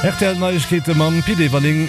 Rtl Neiegkeete mam Pit Everling.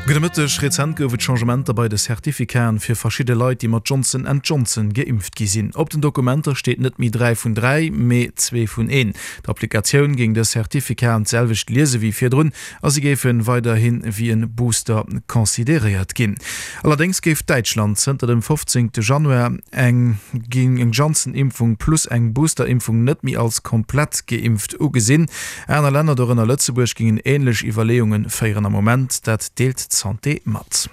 Gudde Mëtteg. Rezent gouf et Changementer bei de Certificaten fir verschidde Leit, déi mat Johnson and Johnson geimpft gi sinn. Op den Dokumenter steet net méi 3 vun 3, mee 2 vun 1. D'Applikatioun géing dës Certificaten d'selwecht liese wéi virdrun a si géife weiderhi wéi e Booster consideréiert ginn. Allerdéngs géif Däitschland zënter dem 15 Januar eng eng Janssen-Impfung plus eng Booster-Impfung net méi als komplett geimpft ugesinn. Aner Länner, dorënner Lëtzebuerg, géingen änlech Iwwerleeunge féieren am Moment, dat deelt d'Santé mat.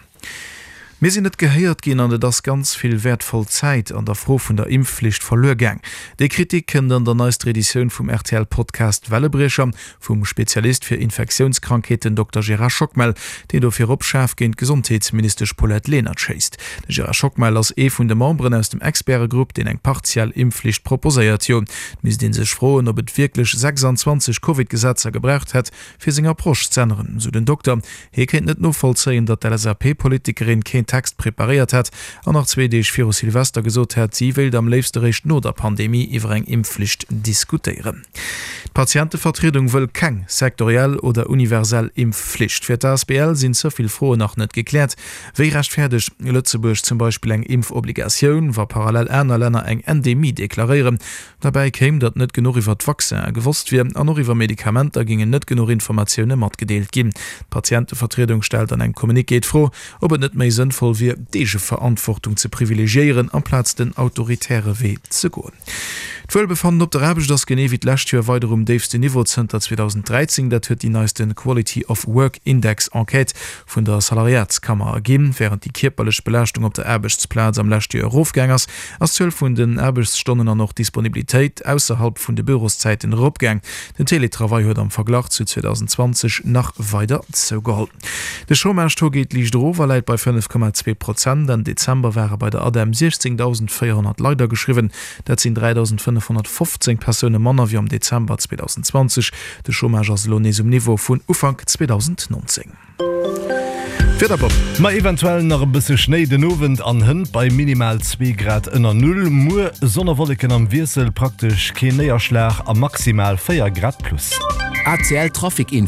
Mir sinn net gehéiert ginn an et ass ganz vill wäertvoll Zäit an der Fro vun der Impfflicht verluer gaang. Déi Kritik kënnt an der neister Editioun vum RTL-Podcast Wellebriecher vum Spezialist fir Infektiounskrankheeten Dokter Gérard Schockmel, deen dofir op schaarf géint d'Gesondheetsministesch Paulette Lenert schéisst. De Gérard Schockmel ass ee vun de Memberen aus dem Expertegrupp, deen eng partiell Impfflicht proposéiert. Jo, Et misst ee sech froen, ob et wierklech 26 Covid-Gesetzer gebraucht hätt, fir seng Approche z'änneren, sou den Dokter. Hie kéint net novollzéien, datt d'LSAP-Politikerin keen Text preparéiert hätt an nach zwee Deeg viru Silvester gesot hätt, si wéilt am léifste réischt no der Pandemie iwwer eng Impfflicht diskutéieren. D'Patientevertriedung wëll keng sektoriell oder universell Impfflicht. Fir d'ASBL sinn ze vill Froen nach net gekläert. Wéi rechtfäerdegt Lëtzebuerg zum Beispill eng Impfobligatioun, wa parallel aner Länner eng Endemie deklaréieren? Derbäi kéim, datt net genuch iwwer d'Vaccinen gewosst wier an och iwwer Medikamenter géingen net genuch Informatioune matgedeelt ginn. D'Patientevertriedung stellt an engem Communiqué d'Fro, ob et net méi sënnvoll wier, d'Eegeverantwortung ze privilegiéieren, amplaz den autoritäre Wee ze goen. D'Wuelbefannen op der Aarbecht ass genee wéi d'lescht Joer weider um déifsten Niveau zënter 2013. Dat huet déi neiste Quality of Work Index Enquête vun der Salariatskammer erginn. Wärend déi kierperlech Belaaschtung op der Aarbechtsplaz am leschte Joer erofgaang ass, ass d'Zuel vun den Aarbechtsstonnen an och d'Disponibilitéit ausserhalb vun de Büroszäiten eropgaang. Den Teletravail huet am Verglach zu 2020 nach weider zougeholl. De Chômage-Taux geet liicht erof a läit bei 5,2 Prozent. Enn Dezember ware bei der ADEM 16.400 Leit ageschriwwen. Dat sinn 3.515 Persoune manner wéi am Dezember 2020. De Chômage ass elo nees um Niveau vun Ufank 2019. D'Wieder Bob. Ma eventuell nach e bësse Schnéi den Owend an hënt bei minimal 2 Grad ënner Null. Muer Sonn a Wolleken am Wiessel, praktesch keen Néierschlag a maximal 4 Grad plus. ACL Trafic Info.